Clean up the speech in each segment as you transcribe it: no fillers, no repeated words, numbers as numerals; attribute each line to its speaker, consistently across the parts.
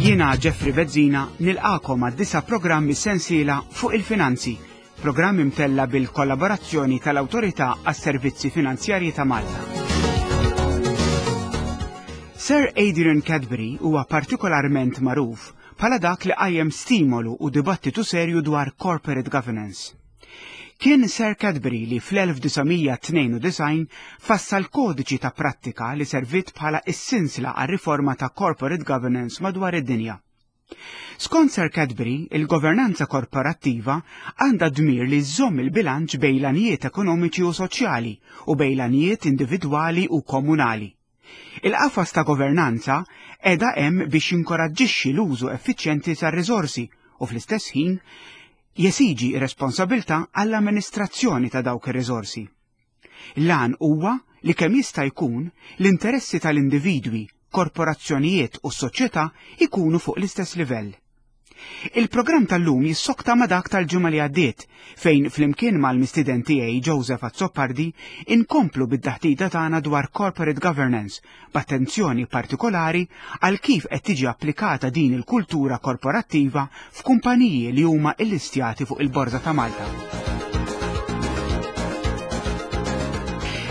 Speaker 1: Jiena Jeffrey Bezzina nilqakom għad-disa programmi sensiela fuq il-finanzi, programm imtella bil-kollaborazzjoni tal-Awtorità għas-Servizzi Finanzjarji ta' Malta. Sir Adrian Cadbury huwa partikolarment magħruf bħala dak li qajjem stimolu u dibattitu serju dwar corporate governance. Kien Sir Cadbury li fl-1992 fassal kodiċi ta' prattika li servit bħala is-sinsla għar-riforma ta' corporate governance madwar id-dinja. Skont Sir Cadbury, il-governanza korporattiva għandha dmir li żżomm il-bilanċ bejn l-għanijiet ekonomiċi u soċjali u bejn l-għanijiet individwali u komunali. Il-qafas ta' governanza qiegħda hemm biex jinkoraġġixxi l-użu effiċjenti tar-riżorsi u fl-istess ħin jesiġi responsabilità għall-amministrazzjoni ta' dawk ir-riżorsi. L-għan huwa li kemm jista' jkun l-interessi tal-individwi, korporazzjonijiet u s-soċjetà jkunu fuq l-istess livell. Il-programm tal-lum jissokta ma' dak tal-ġimgħa li għaddiet, fejn flimkien mal-mistieden tiegħi Joseph Azzopardi inkomplu bid-daħtida tagħna dwar corporate governance b'attenzjoni partikolari għal kif qed tiġi applikata din il-kultura korporattiva f'kumpaniji li huma illistjati fuq il-Borża ta' Malta.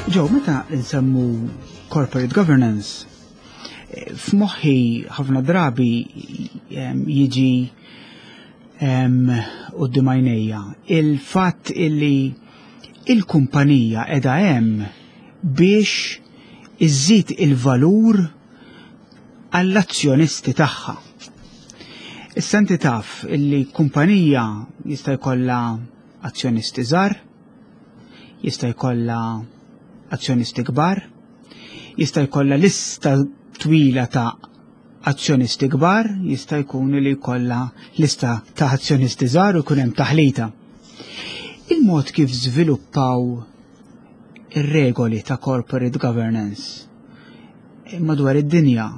Speaker 1: Ġew, meta nsemmu corporate governance, f'moħħi ħafna drabi jiġi quddiem għajnejja il-fatt illi il-kumpanija qiegħda hemm biex iżżid il-valur għall-azzjonisti tagħha. Issa inti taf illi kumpanija jista' jkollha azzjonisti żgħar, jista' jkollha azzjonisti kbar, jista' jkollha lista twila ta' azzjonisti kbar, jista' jkun li jkollha lista ta' azzjonisti żgħar u jkun hemm taħlita. Il-mod kif żviluppaw ir-regoli ta' corporate governance madwar id-dinja.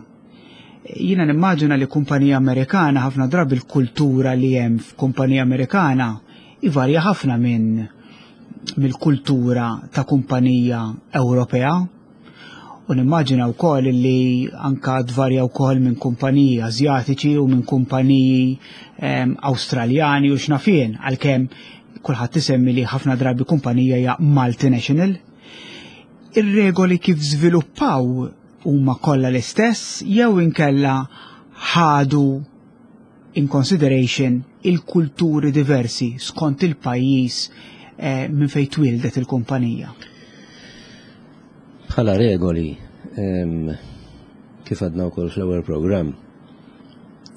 Speaker 1: Jiena nimmaġina li kumpanija Amerikana ħafna drabi l-kultura li hemm f'kumpanija Amerikana ivarja ħafna minn mill-kultura ta' kumpanija Ewropea. U nimmaġina wkoll li anka tvarja wkoll minn kumpaniji Asjatiċi u minn kumpaniji ehm, Awstraljani u x'naf jien, għalkemm kulħadd isemmi li ħafna drabi kumpanija hija multinational. Ir-regoli kif żviluppaw huma kollha l-istess jew inkella ħadu in consideration il-kulturi diversi skont il-pajjiż eh, minn fejn twildet il-kumpanija.
Speaker 2: Bħala regoli, kif għadna wkoll fl-ewwel programm,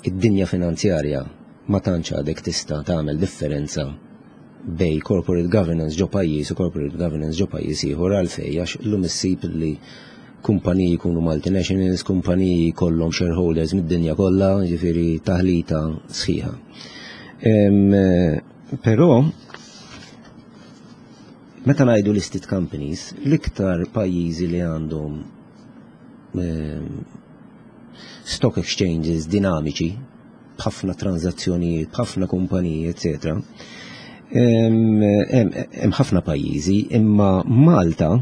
Speaker 2: id-dinja finanzjarja ma tantx għadek tista' tagħmel differenza bej corporate governance ġo pajjiż u corporate governance ġo pajjiż ieħor għalfejn għax illum issib li kumpaniji jkunu multinationals, kumpaniji jkollhom shareholders mid-dinja kollha, ġifieri taħlita sħiħa. Però meta ngħidu listed companies, l-iktar pajjiżi li għandhom stock exchanges dinamiċi, b'ħafna tranzazzjonijiet, b'ħafna kumpaniji, eccetera. Hemm ħafna pajjiżi, imma Malta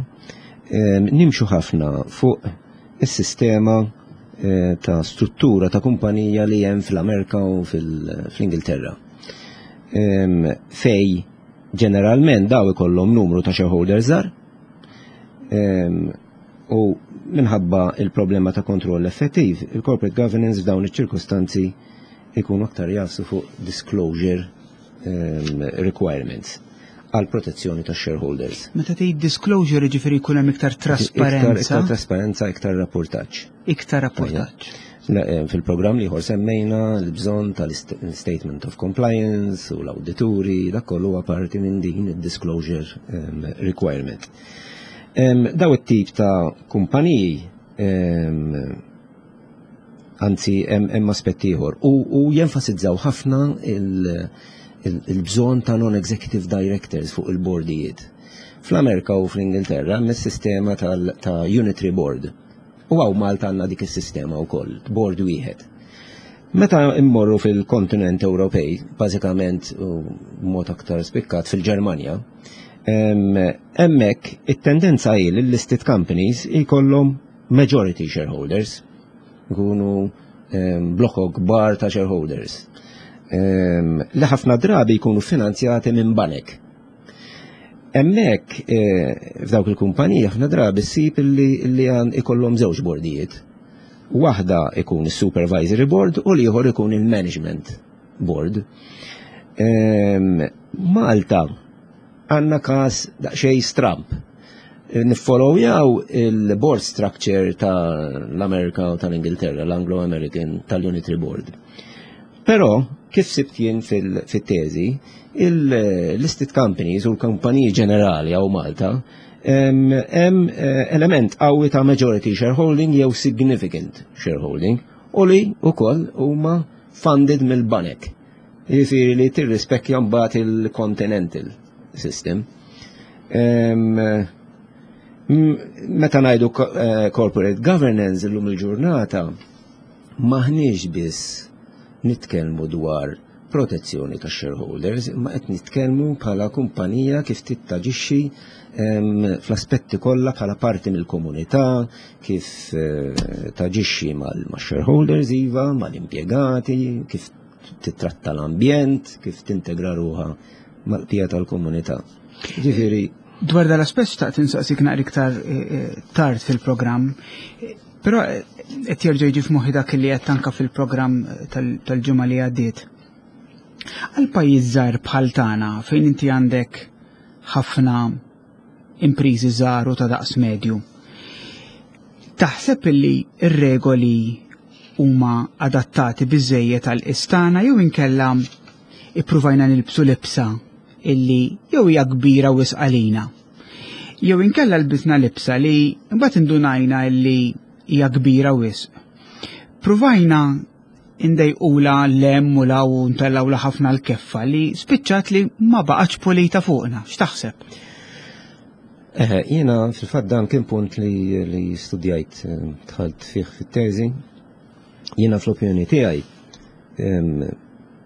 Speaker 2: nimxu ħafna fuq is-sistema eh, ta' struttura ta' kumpanija li hemm fl-Amerika u fl-Ingilterra. Fej ġeneralment daw ikollhom numru ta' shareholders żgħar u minħabba il-problema ta' kontroll effettiv, il-corporate governance f'dawn iċ-ċirkustanzi ikunu aktar jafsu fuq disclosure requirements għal protezzjoni ta' shareholders.
Speaker 1: Meta tgħid disclosure jiġifieri jkun hemm iktar trasparenza.
Speaker 2: Iktar trasparenza, iktar rapportaġġ.
Speaker 1: Iktar rapportaġġ.
Speaker 2: Eh, fil-programm li semmejna l-bżonn tal-statement of compliance u l-awdituri, dak kollu huwa parti minn din id-disclosure ehm, requirement. Ehm, daw it-tip ta' kumpaniji ehm, anzi hemm aspett ieħor u jenfasizzaw ħafna il-bżonn ta' non-executive directors fuq il-bordijiet. Fl-Amerika u fl-Ingilterra hemm is-sistema ta' unitary board. U hawn Malta għandna dik is-sistema wkoll, board wieħed. Meta immorru fil-kontinent Ewropej, bażikament mod aktar spikkat fil-Ġermanja, hemmhekk it-tendenza hi li listed companies jkollhom majority shareholders. Ikunu Blokok kbar ta' shareholders. Li ħafna drabi jkunu finanzjati minn banek. Hemmhekk f'dawk il-kumpaniji ħafna drabi ssib li għan ikollhom żewġ bordijiet. Waħda ikun is-supervisory board u l-ieħor ikun il-management board. Malta għandna każ daqsxejn stramp. Niffollowjaw il-board structure tal-Amerika u tal-Ingilterra, l-Anglo-American tal-Unitary Board. Però, kif sibt jien fil-teżi, il-listed companies u l-kumpaniji ġenerali hawn Malta hemm element qawwi ta' majority shareholding jew significant shareholding u li wkoll huma funded mill-banek. Jiġifieri li tirrispekkja mbagħad il-continental system. Meta ngħidu corporate governance illum il-ġurnata, maħniex biss nitkellmu dwar protezzjoni ta' shareholders, imma qed nitkellmu bħala kumpanija kif taġixxi fl-aspetti kollha bħala parti mill-komunità, kif taġixxi mal-shareholders iva, mal-impjegati, kif titratta l-ambjent, kif tintegra ruħha mal-bqija tal-komunità. Ġifieri.
Speaker 1: Dwar dal-aspett xtaqt insaqsik naqra iktar tard fil-programm, però qed jerġa' jiġi f'moħħi dak li qed anka fil-programm tal-ġimgħa li għaddiet. Għal pajjiż żgħir bħal tagħna fejn inti għandek ħafna impriżi żgħar u ta' daqs medju. Taħseb li r-regoli huma adattati biżejjed għal istana jew inkella ippruvajna nilbsu libsa illi jew hija kbira wisq għalina? Jew inkella lbisna libsa li mbagħad indunajna illi hija kbira wisq. Pruvajna indejqula lem u law u ntellawla ħafna l-keffa li spiċċat li ma baqgħetx pulita fuqna. X'taħseb?
Speaker 2: Jiena fil-fatt dan kien punt li studjajt, dħalt fih fit-teżi. Jiena fl-opinjoni tiegħi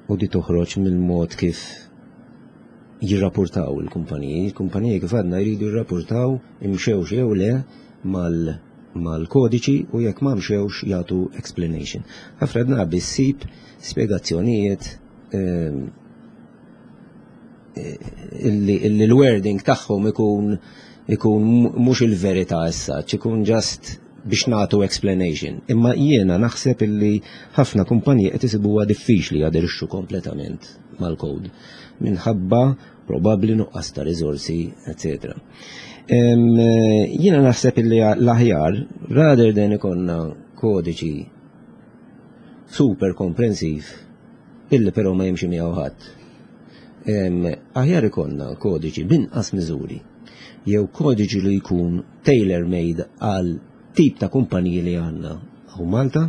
Speaker 2: u di toħroġ mill-mod kif jirrapportaw il-kumpaniji. Il-kumpaniji, kif għadna, jridu jirrapportaw imxewx jew le mal-kodiċi u jekk ma mxewx jagħtu explanation. Ħafna drabi ssib spjegazzjonijiet illi l-wording tagħhom ikun mhux il-verità issa, ikun just biex nagħtu explanation. Imma jiena naħseb illi ħafna kumpaniji qed isibuha diffiċli jaderixxu kompletament mal-code minħabba probabbli nuqqas ta' riżorsi, etc. Jiena naħseb illi l-aħjar, rather than ikollna kodiċi super komprensiv illi però ma jimxi miegħu ħadd, aħjar ikollna kodiċi b'inqas miżuri jew kodiċi li jkun tailor-made għal tip ta' kumpaniji li għandna hawn Malta,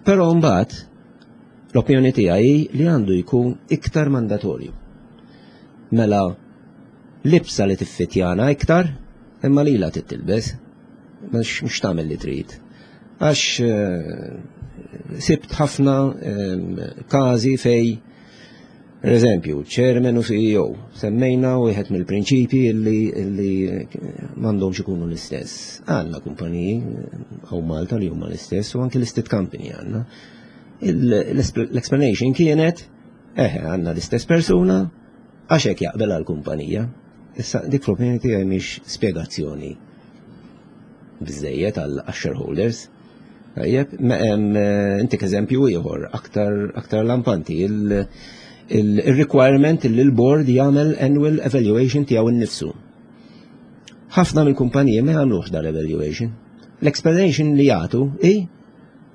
Speaker 2: però mbagħad l-opinjoni tiegħi li għandu jkun iktar mandatorju. Mela libsa li tiffitjana iktar, imma li la titilbes, mhux tagħmel li trid. Għax sibt ħafna każi fej, per eżempju, chairman u CEO, semmejna wieħed mill-prinċipji illi m'għandhomx ikunu l-istess. Għandna kumpaniji hawn Malta li huma l-istess u anke listed company għandna. L-explanation kienet, eħe, għandna l-istess persuna, għax hekk jaqbel għall-kumpanija. Issa dik fl-opinjoni tiegħi mhix spjegazzjoni biżejjed għal shareholders. Tajjeb, intik eżempju ieħor aktar lampanti, il-requirement li l-board jagħmel annual evaluation tiegħu nnifsu. Ħafna mill-kumpaniji ma jagħmlux dal-evaluation. L-explanation li jagħtu i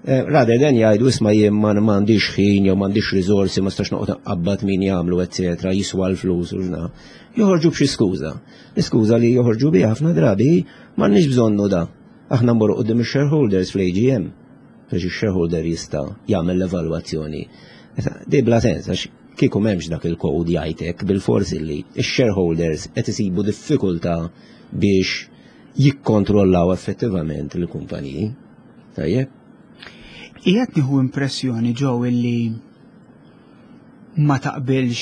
Speaker 2: rather than jgħidu, "Isma', jien ma m'għandix ħin jew m'għandix riżorsi, ma stax noqgħod nqabbad min jagħmlu, eċetera, jiswa l-flus u x'na." Joħorġu b'xi skuża. L-iskuża li joħorġu biha ħafna drabi, "M'għandniex bżonnu da. Aħna mmorru quddiem ix-shareholders fl-AGM." Biex ix-shareholder jista' jagħmel l-evalwazzjoni. Di bla sens, għax kieku m'hemmx dak il-code jgħidlek bil-forsi li x-shareholders qed isibu diffikultà biex jikkontrollaw effettivament il-kumpaniji. Tajjeb?
Speaker 1: Qiegħed nieħu impressjoni ġew illi ma taqbilx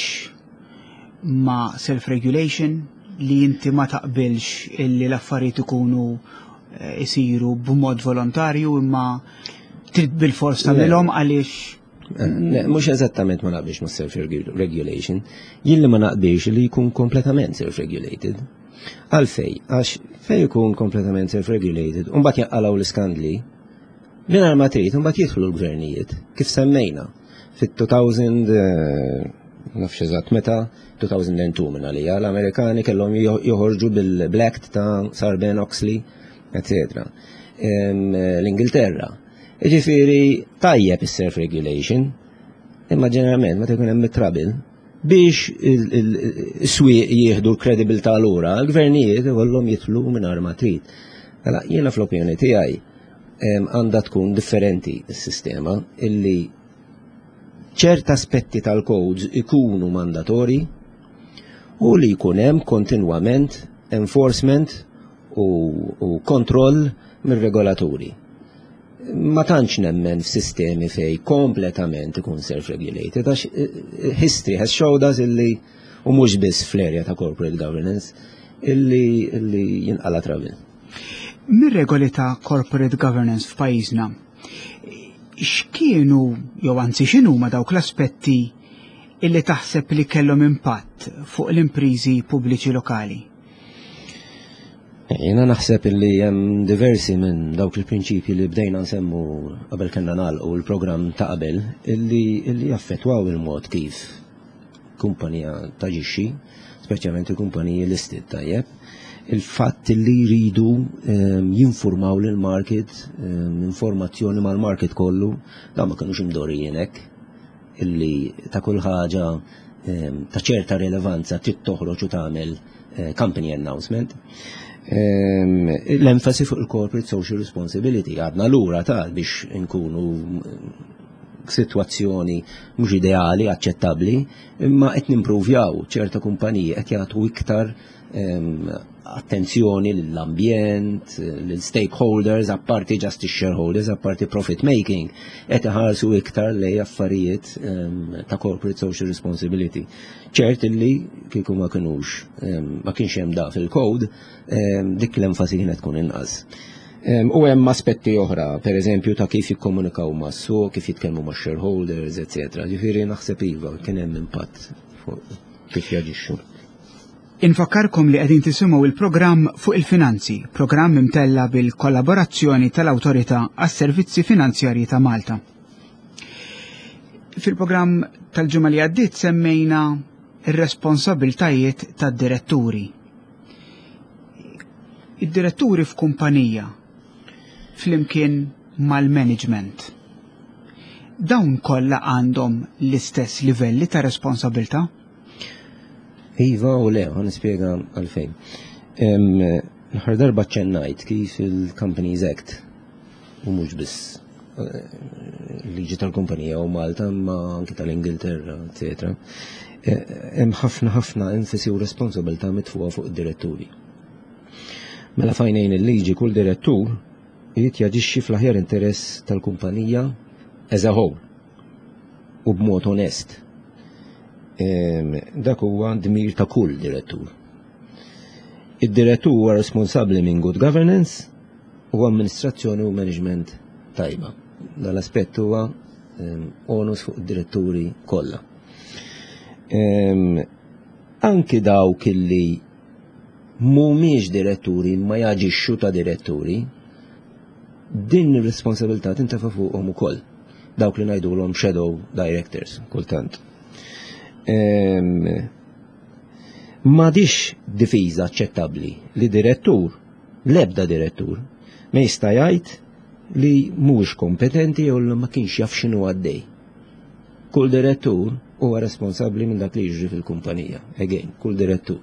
Speaker 1: ma' self-regulation, li inti ma taqbilx illi l-affarijiet ikunu isiru b'mod volontarju imma trid bil-fors tagħmilhom għaliex
Speaker 2: eh, Mhux eżattament ma naqbilx ma' self-regulation, jien li ma naqbilx li jkun kompletament self-regulated. Għalfej, għax fej jkun kompletament self-regulated, u mbagħad jaqalgħu l-iskandli, mingħajr ma trid, mbagħad jidħlu l-gvernijiet, kif semmejna fit-2000 eh, nafx eżatt meta 2002 minn għalija l-Amerikani kellhom joħorġu bil-Black ta' Sarbanes-Oxley, etc. L-Ingilterra. Ġifieri tajjeb is-self-regulation, imma ġeneralment meta jkun hemm trouble biex is-swieq jieħdu l-kredibilità lura, l-gvernijiet ikollhom jidħlu mingħajr ma trid. Mela jiena fl-opinjoni tiegħi għandha tkun differenti s-sistema illi ċert aspetti tal-codes ikunu mandatori u li jkun hemm kontinwament enforcement u, u kontroll mir-regolaturi. Ma tantx nemmen f'sistemi fej kompletament ikun self-regulated, għax eh, eh, history has showed us illi u mhux biss fl-area ta' corporate governance illi, illi jinqala travel.
Speaker 1: Mir-regoli ta' corporate governance f'pajjiżna, x'kienu jew anzi x'inhuma dawk l-aspetti illi taħseb li kellhom impatt fuq l-imprizi pubbliċi lokali?
Speaker 2: Jena naħseb illi hemm diversi minn dawk il-prinċipji li bdejna nsemmu qabel kellna nagħlqu l-programm ta' qabel illi, illi jaffettwaw il-mod kif kumpanija taġixxi, speċjalment il-kumpaniji listed tajjeb. Il-fatt li jridu ehm, jinformaw lil market ehm, informazzjoni mal-market kollu, da ma kinux imdorijin hekk illi ta' kull ħaġa ehm, ta' ċerta rilevanza trid toħroġ u tagħmel eh, company announcement. L-enfasi fuq il-corporate social responsibility għadna lura ta' biex nkunu situazzjoni mhux ideali, aċċettabbli, imma qed nimpruvjaw ċerta kumpaniji qed jagħtu iktar ehm, attenzjoni lill-ambjent, lill-stakeholders, apparti just shareholders, apparti profit making, qed iħarsu iktar lej affarijiet ehm, ta' corporate social responsibility. Ċert illi kieku ma kinux ehm, ma kienx hemm da fil-code, dik l-enfasi kienet tkun inqas. U hemm aspetti oħra, per eżempju ta' kif jikkomunikaw mas-suq, kif jitkellmu ma' shareholders, etc. Ġifieri naħseb iva kien hemm impatt fuq kif jaġixxu.
Speaker 1: Infakkarkom li qegħdin tisimgħu il-programm fuq il-finanzi, programm imtella bil-kollaborazzjoni tal-Awtorità għas-Servizzi Finanzjarji ta' Malta. Fil-programm tal-ġimgħa li għaddiet semmejna ir-responsabiltajiet tad-diretturi. Id-diretturi f'kumpanija flimkien mal-management. Dawn kollha għandhom l-istess livelli ta' responsabilità?
Speaker 2: Iva u le, għan nispjega għalfejn. L-aħħar darba ċennajt kif il-Companies Act u mhux biss eh, liġi tal-kumpanija u Malta ma anki tal-Ingilterra, etc. Eh, hemm ħafna ħafna enfasi u responsabilità mitfuqa fuq id-diretturi. Mela fajnejn il-liġi kull direttur irid jaġixxi fl-aħjar interess tal-kumpanija as a whole u b'mod onest. Dak huwa dmir ta' kull direttur. Id-direttur huwa responsabbli minn good governance u amministrazzjoni u management tajba. Dan l-aspett huwa onus fuq id-diretturi kollha. Anki dawk illi mhumiex diretturi ma jaġixxu ta' diretturi, din ir-responsabilità tintefa' fuqhom ukoll. Dawk li ngħidulhom shadow directors kultant. M'għadix difiża aċċettabbli li direttur, l-ebda direttur, ma jista' jgħid li mhuwiex kompetenti jew li ma kienx jaf x'inhu għaddej. Kull direttur huwa responsabbli minn dak li jiġri fil-kumpanija. Again, kull direttur.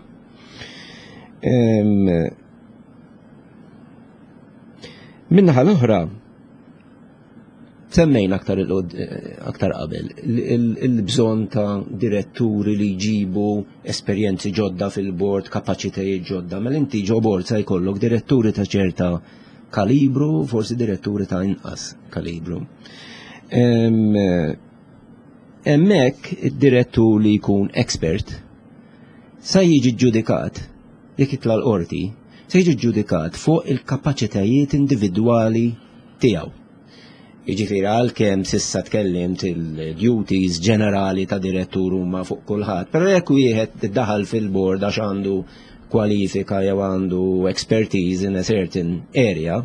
Speaker 2: Minnaħa l-oħra, semmejna aktar aktar qabel il-bżonn ta' diretturi li jġibu esperjenzi ġodda fil-bord, kapaċitajiet ġodda. Mela inti ġo bord sa jkollok diretturi ta' ċerta kalibru, forsi diretturi ta' inqas kalibru. Hemmhekk id-direttur li jkun expert sa jiġi ġudikat jekk jitla' l-qorti, se jiġi ġudikat fuq il-kapaċitajiet individwali tiegħu. Jiġifieri għalkemm s'issa tkellimt il-duties ġenerali ta' direttur huma fuq kulħadd, però jekk wieħed daħal fil-board għax għandu kwalifika jew għandu expertise in a certain area,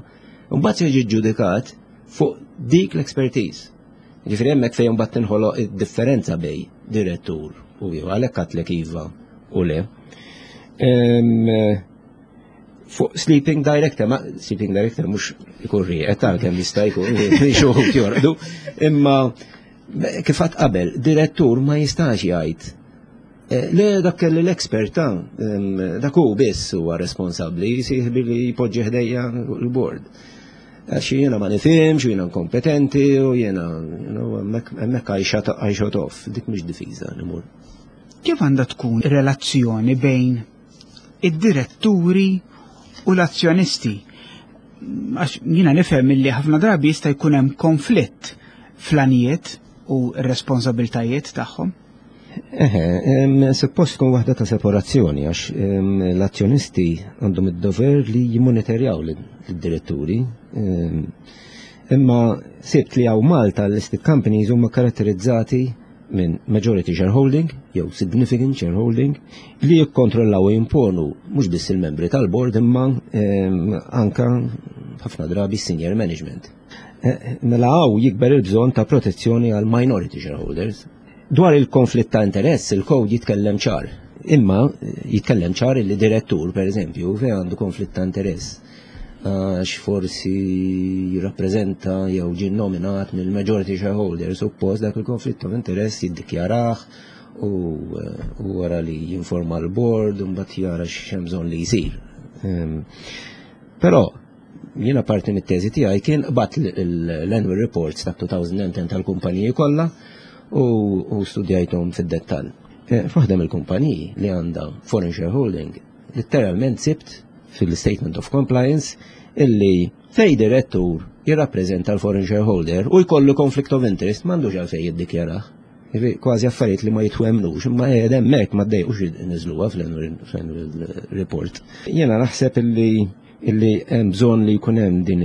Speaker 2: mbagħad se jiġi ġġudikat fuq dik l-expertise. Ġifieri hemmhekk fejn mbagħad tinħoloq id-differenza bej direttur u ieħor, għalhekk għadtlek iva u le. Fuq sleeping director, ma sleeping director mhux ikun rieqed għalkemm jista' jkun xi wħud jorqdu, imma kif għad qabel, direttur ma jistax jgħid le, dak kelli l-expert ta' dak hu biss huwa responsabbli jsih billi jpoġġi ħdejja l-board. Għax jiena ma nifhimx, jiena inkompetenti u jiena hemmhekk I shut off, dik mhix difiża nimur.
Speaker 1: Kif għandha tkun relazzjoni bejn id-diretturi u l-azzjonisti? Għax jiena nifhem illi ħafna drabi jista' jkun hemm konflitt fl-għanijiet u r-responsabiltajiet tagħhom.
Speaker 2: Eħe, suppost tkun waħda ta' separazzjoni għax l-azzjonisti għandhom id-dover li jimmonitorjaw lid-diretturi. Imma sibt li hawn Malta l-listed companies huma karatterizzati minn majority shareholding jew significant shareholding li jikkontrollaw u jimponu mhux biss il-membri tal-board imma anka ħafna drabi senior management. Mela hawn jikber il-bżonn ta' protezzjoni għal minority shareholders. Dwar il-konflitt ta' interess, il-code jitkellem ċar. Imma jitkellem ċar li direttur, per eżempju, fejn għandu konflitt ta' interess għax forsi jirrappreżenta jew ġie nominat mill-majority shareholder, suppost dak il-konflitt ta' interess jiddikjarah u wara li jinforma l-board u mbagħad jara x'hemm bżonn li jsir. Però jiena parti mit-teżi tiegħi kien qbadt l-annual reports ta' 2010 tal-kumpaniji kollha u studjajthom fid-dettall. F'waħda mill-kumpaniji li għandha foreign shareholding, literalment sibt fil-statement of compliance illi fej direttur jirrappreżenta l-foreign shareholder u jkollu conflict of interest m'għandux għalfejn jiddikjarah. Kważi affarijiet li ma jitwemnux, imma qiegħed hemmhekk ma ddejqux niżluha fl-annual report. Jiena naħseb illi hemm bżonn li jkun hemm din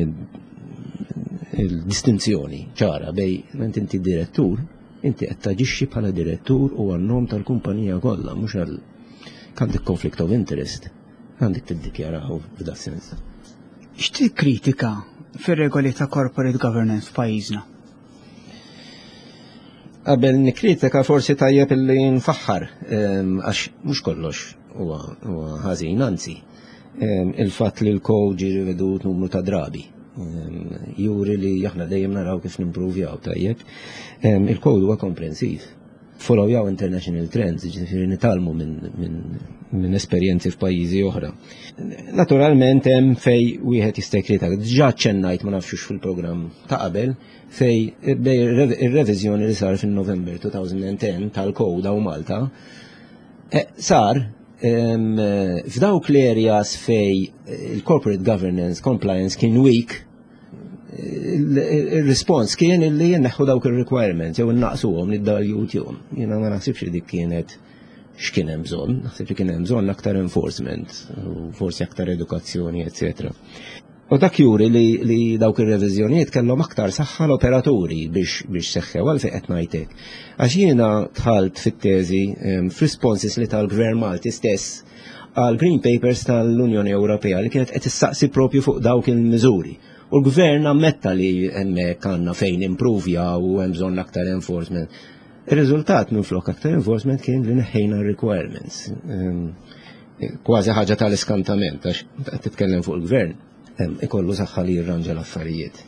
Speaker 2: il-distinzjoni ċara bej inti direttur, inti qed taġixxi bħala direttur u għan-nom tal-kumpanija kollha, mhux għal għandek conflict of interest, għandek tiddikjaraw f'da sens.
Speaker 1: X'tikkritika fir-regoli ta' corporate governance f'pajjiżna?
Speaker 2: Qabel nikkritika forsi tajjeb illi nfaħħar, għax mhux kollox huwa ħażin, anzi. Il-fatt li l-code ġie rivedut numru ta' drabi juri li aħna dejjem naraw kif nimpruvjaw tajjeb. Il-code huwa komprensiv. Followjaw international trends, ġifieri nitgħallmu minn esperjenzi f'pajjiżi oħra. Naturalment hemm fej wieħed jista' jikkritika. Diġà ċennajt, ma nafxux fil-programm ta' qabel, fej ir-reviżjoni li sar fin-November 2010 tal-code hawn Malta sar f'dawk l-areas fej il-corporate governance compliance kien weak, il-respons kien li jenneħħu dawk il-requirements jew innaqsuhom li d-dal. Jiena ma naħsibx li dik kienet x'kien hemm bżonn, naħseb li kien hemm bżonn aktar enforcement, u forsi aktar edukazzjoni, eccetera. U dak juri li dawk ir-reviżjonijiet kellhom aktar saħħa l-operaturi biex seħħew. Għalfejn qed ngħidlek? Għax jiena dħalt fit-teżi f'responses li tal-Gvern Malti stess għal Green Papers tal-Unjoni Ewropea li kienet qed issaqsi propju fuq dawk il-miżuri. U l-gvern ammetta li hemmhekk għandna fejn improvja u hemm bżonn aktar enforcement. Ir-riżultat minn flok aktar enforcement kien li neħħejna requirements. Kważi ħaġa tal-iskantament, għax qed titkellem fuq il-gvern, ikollu saħħa li jirranġa l-affarijiet.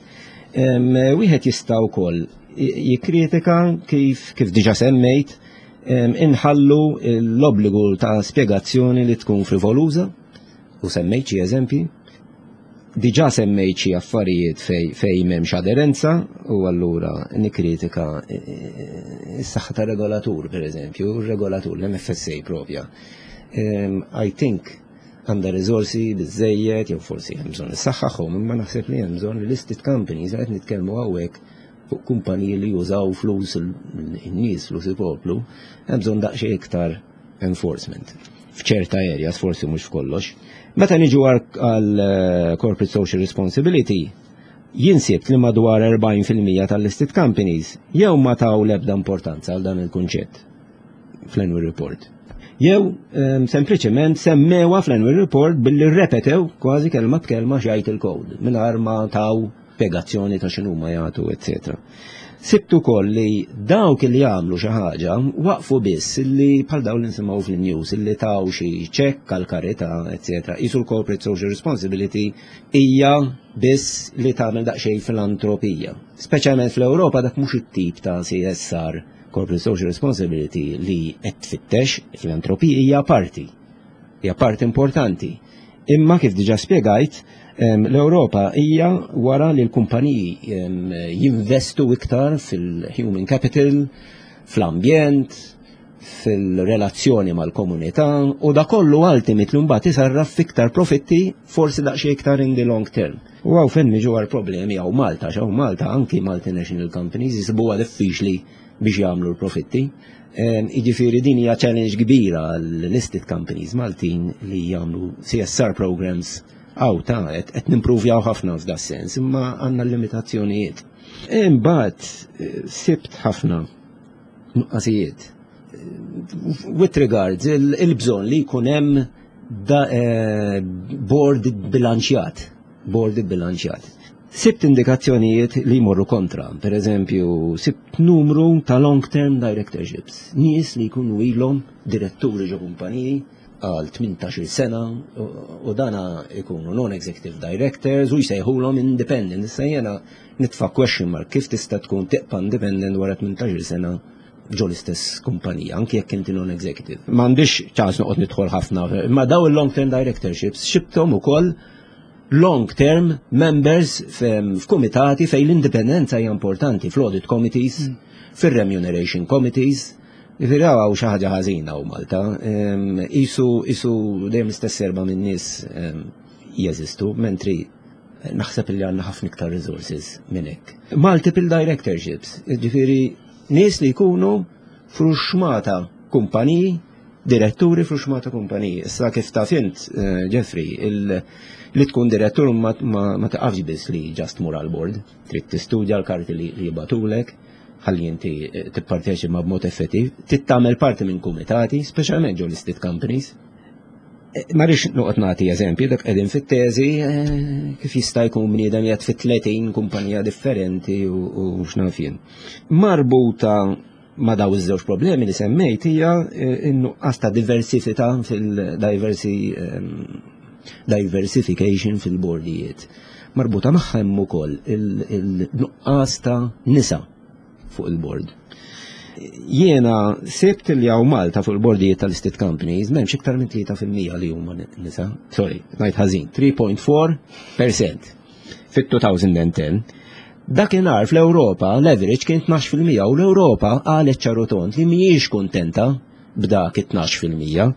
Speaker 2: Wieħed jista' wkoll jikkritika kif diġà semmejt inħallu l-obbligu ta' spjegazzjoni li tkun frivoluża u semmejt xi eżempji. Diġà semmejt xi affarijiet fej m'hemmx aderenza u allura nikkritika s-saħħa ta' regolatur, per eżempju, regolatur l-MFSA propja. I think għandha riżorsi biżejjed jew forsi hemm bżonn issaħħaħhom, imma naħseb li hemm bżonn li listed companies, qed nitkellmu hawnhekk fuq kumpaniji li jużaw flus in-nies, flus il-poplu, hemm bżonn daqsxejn iktar enforcement f'ċerta areas, forsi mhux f'kollox. Meta niġu għal corporate social responsibility, Jien sibt li madwar 40% tal-listed companies jew ma taw l-ebda importanza għal dan il-kunċett fl-annual report. Jew sempliċement semmewha fl-annual report billi rrepetew kważi kelma b'kelma x'jgħid il-code mingħajr ma taw spjegazzjoni ta' x'inhuma jagħtu, eċetera. Sibt ukoll li dawk li jagħmlu xi ħaġa waqfu biss li bħal dawn li nsimgħu fil-news li taw xi ċekk għal karità, eċetera. Qisu l-corporate social responsibility hija biss li tagħmel daqsxejn filantropija. Speċjalment fl-Ewropa dak mhux it-tip ta' CSR, corporate social responsibility, li qed tfittex. Filantropija hija parti. Hija parti importanti. Imma kif diġà spjegajt, l-Ewropa hija wara li l-kumpaniji jinvestu iktar fil-human capital, fl-ambjent, fil-relazzjoni mal-komunità u da kollu ultimately mbagħad isarraf fiktar profitti, forsi daqsxejn iktar in the long term. U hawn fejn niġu għal problemi hawn Malta, hawn Malta anki multinational companies jisibuha diffiċli biex jagħmlu l-profitti. Jiġifieri din hija challenge kbira għal listed companies Maltin li jagħmlu CSR programs għaw ta' qed nimpruvjaw ħafna f'da sens, imma għandna limitazzjonijiet. Imbagħad sibt ħafna nuqqasijiet. With regards il-bżonn li jkun hemm board bilanċjat, board bilanċjat. Sibt indikazzjonijiet li jmorru kontra, per eżempju, sibt numru ta' long-term directorships, nies li jkunu ilhom diretturi ġo kumpaniji għal 18 sena u dana ikunu non-executive directors u jsejħulhom independent. Issa jena nitfa' question mark kif tista' tkun tibqa' independent wara 18 sena ġo l-istess kumpanija, anki jekk inti non-executive. M'għandix ċans noqgħod nidħol ħafna, imma daw il-long-term directorships sibthom ukoll long-term members f'kumitati fejn l-indipendenza hija importanti, fl-audit committees, fir-remuneration committees. Jiġifieri hawn xi ħaġa ħażina u Malta. Isu dejjem l-istess erba' minn nies jeżistu, mentri naħseb li għandna ħafna iktar resources minn hekk. Multiple directorships, jiġifieri nies li jkunu f'ruxxmata kumpaniji, diretturi f'ruxxmata kumpaniji. Issa kif taf int, Jeffrey, li tkun direttur ma taqafx biss li just mur għal board, trid tistudja l-karti li jibagħtulek, ħalli inti tipparteċipa b'mod effettiv, trid tagħmel parti minn kumitati, speċjalment ġo listed companies. Ma rridx noqgħod nagħti eżempji, dak qegħdin fit-teżi, kif jista' jkun bniedem jgħid fit 30 kumpanija differenti u x'naf jien. Marbuta ma' daw iż-żewġ problemi li semmejt hija n-nuqqas ta' diversità fil-diversi diversification fil-bordijiet. Marbuta magħha hemm ukoll il-nuqqas ta' nisa fuq il-board. Jiena sibt li hawn Malta fuq il-bordijiet tal-listed companies m'hemmx iktar minn 3% li huma nisa, sorry, ngħid ħażin, 3.4% fit-2010. Dakinhar fl-Ewropa l-average kien 12% u l-Ewropa qalet ċar u tond li mhijiex kuntenta b'dak it-12%.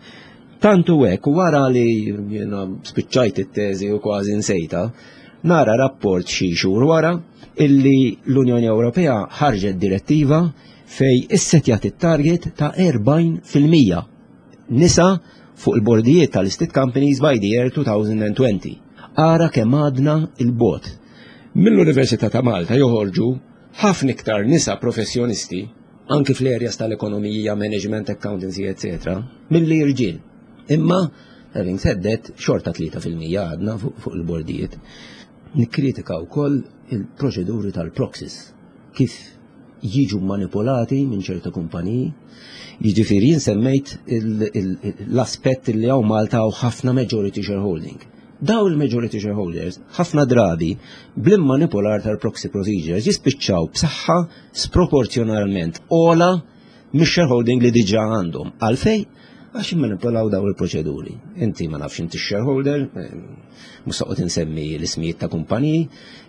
Speaker 2: Tantu hekk wara li jiena spiċċajt it-teżi u kważi nsejta, nara rapport xi xhur wara illi l-Unjoni Ewropea ħarġet direttiva fej issetjat it-target ta' 40% nisa fuq il-bordijiet tal-listed companies by the year 2020. Ara kemm għadna 'l bogħod. Mill-Università ta' Malta joħorġu ħafna iktar nisa professjonisti anki fl-areas tal-ekonomija, management, accountancy, etc., milli irġiel. Imma, having said that, xorta 3% għadna fuq il-bordijiet. Nikkritika wkoll il-proċeduri tal-proxies, kif jiġu manipolati minn ċerta kumpaniji. Jiġifieri jien semmejt l-aspett li hawn Malta hawn ħafna majority shareholding. Daw il-majority shareholders ħafna drabi bl-immanipular tal-proxy procedures jispiċċaw b'saħħa sproporzjonalment ogħla mix-shareholding li diġà għandhom. Għalfej? Għax immanipulaw daw il-proċeduri. Inti ma nafx inti shareholder, mhux toqgħod insemmi l-ismijiet ta' kumpaniji,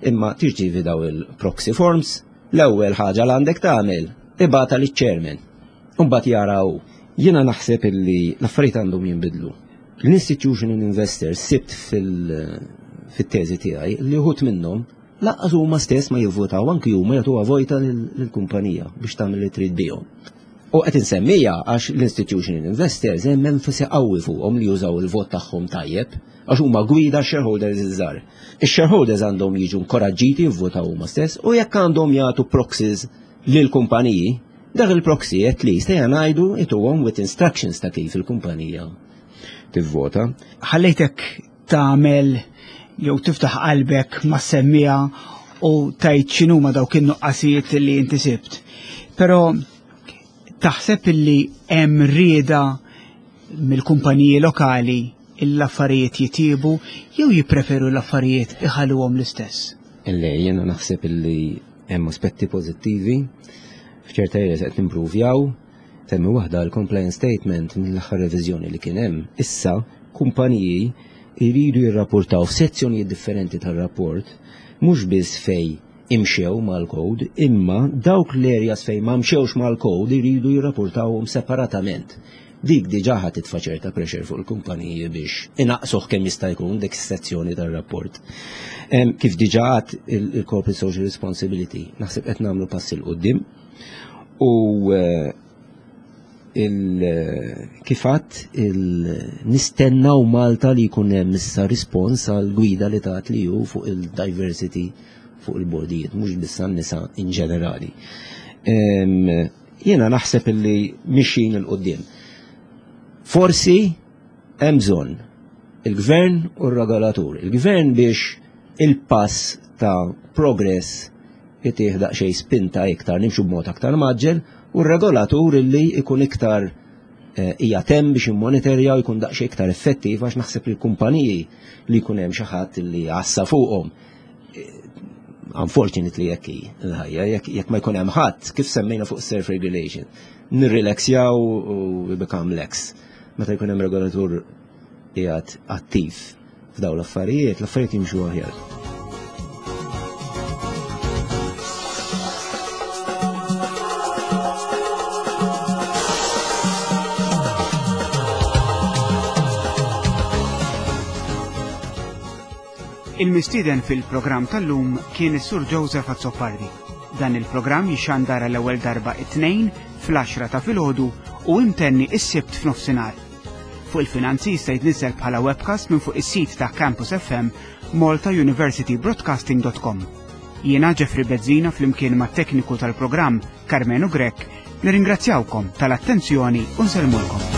Speaker 2: imma tirċievi daw il-proxy forms, l-ewwel ħaġa li għandek tagħmel ibgħatha liċ-chairman. Imbagħad jaraw. Jiena naħseb illi l-affarijiet għandhom jinbidlu. L-institutional investors sibt fil-teżi tiegħi li uħud minnhom lanqas huma stess ma jivvotaw, anki huma jagħtuha vojta lill-kumpanija biex tagħmel li trid bihom. U qed insemmija għax l-institutional investors hemm enfasi qawwi fuqhom li jużaw il-vot tagħhom tajjeb għax huma gwida shareholders iż-żgħar. Ix-shareholders għandhom jiġu inkoraġġiti jivvotaw huma stess u jekk għandhom jagħtu proxies lil kumpaniji, dak il-proxy at least ejja ngħidu ituhom with instructions ta' kif il-kumpanija tivvota.
Speaker 1: Ħallejtek tagħmel jew tiftaħ qalbek ma' semmija u tajt x'inhuma dawk in-nuqqasijiet li inti sibt. Però taħseb illi hemm rieda mill-kumpaniji lokali l-affarijiet jitjiebu jew jippreferu l-affarijiet iħalluhom l-istess?
Speaker 2: Le, jiena naħseb illi hemm aspetti pożittivi f'ċerta areas qed nimpruvjaw. Semmi waħda l-compliance statement mill-aħħar reviżjoni li kien hemm. Issa kumpaniji jridu jirrapportaw f'sezzjonijiet differenti tar-rapport mhux biss fej imxew mal-code, imma dawk l-areas fejn ma mxewx mal-code jridu jirrapportawhom separatament. Dik diġà ħa titfa' ċerta pressure fuq il-kumpaniji biex inaqsuh kemm jista' jkun dik is-sezzjoni tar-rapport. Kif diġà għad il-corporate social responsibility, naħseb qed nagħmlu passi 'l quddiem u eh, kif għadt nistennaw Malta li jkun hemm issa rispons għal gwida li tat li hu fuq il-diversity fuq il-bordijiet, mhux biss għan-nisa in ġenerali. Jiena naħseb illi mixin il-qudiem. Forsi hemm bżonn il-gvern u r-regolatur. Il-gvern biex il-pass ta' progress itih daqsxejn spinta iktar, nimxu b'mod aktar maġġel, u r-regolatur illi ikun iktar eh, hija tem biex immonitorja u jkun daqsxejn iktar effettiv għax naħseb li l-kumpaniji li jkun hemm xi ħadd li għassa fuqhom. Eh, unfortunately jekk hi l-ħajja, jekk ma jkun hemm ħadd, kif semmejna fuq self regulation, nirrilaxjaw u we become lax. Meta jkun hemm regolatur qiegħed attiv f'daw l-affarijiet, l-affarijiet jimxu aħjar.
Speaker 1: Il-mistieden fil-programm tal-lum kien is-Sur Joseph Azzopardi. Dan il-programm jixandar l-ewwel darba it-tnejn fl-10 ta' filgħodu u imtenni is-Sibt f'nofsinhar. Fuq il-finanzi jista' jitniżżel bħala webcast minn fuq is-sit ta' Campus FM maltauniversitybroadcasting.com. Jiena Jeffrey Bezzina flimkien mat-tekniku tal-programm Carmenu Grech nirringrazzjawkom tal-attenzjoni u nsellmulkom.